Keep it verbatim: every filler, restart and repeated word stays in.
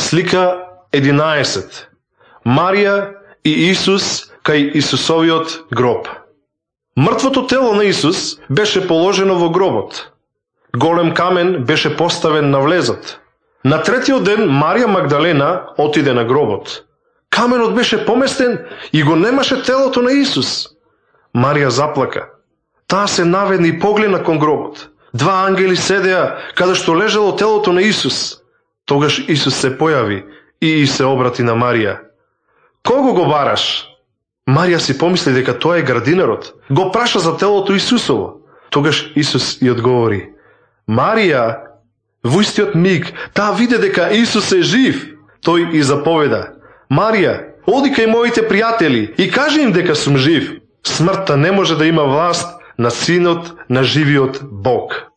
Слика единаесет. Марија и Исус кај Исусовиот гроб. Мртвото тело на Исус беше положено во гробот. Голем камен беше поставен на влезот. На третиот ден Марија Магдалена отиде на гробот. Каменот беше поместен и го немаше телото на Исус. Марија заплака. Таа се наведна и погледна кон гробот. Два ангели седеа каде што лежало телото на Исус. Тогаш Исус се појави и се обрати на Марија. Кого го бараш? Марија си помисли дека тоа е градинерот. Го праша за телото Исусово. Тогаш Исус и одговори. Марија, во истиот миг, таа виде дека Исус е жив. Тој и заповеда. Марија, оди кај моите пријатели и кажи им дека сум жив. Смртта не може да има власт на Синот на живиот Бог.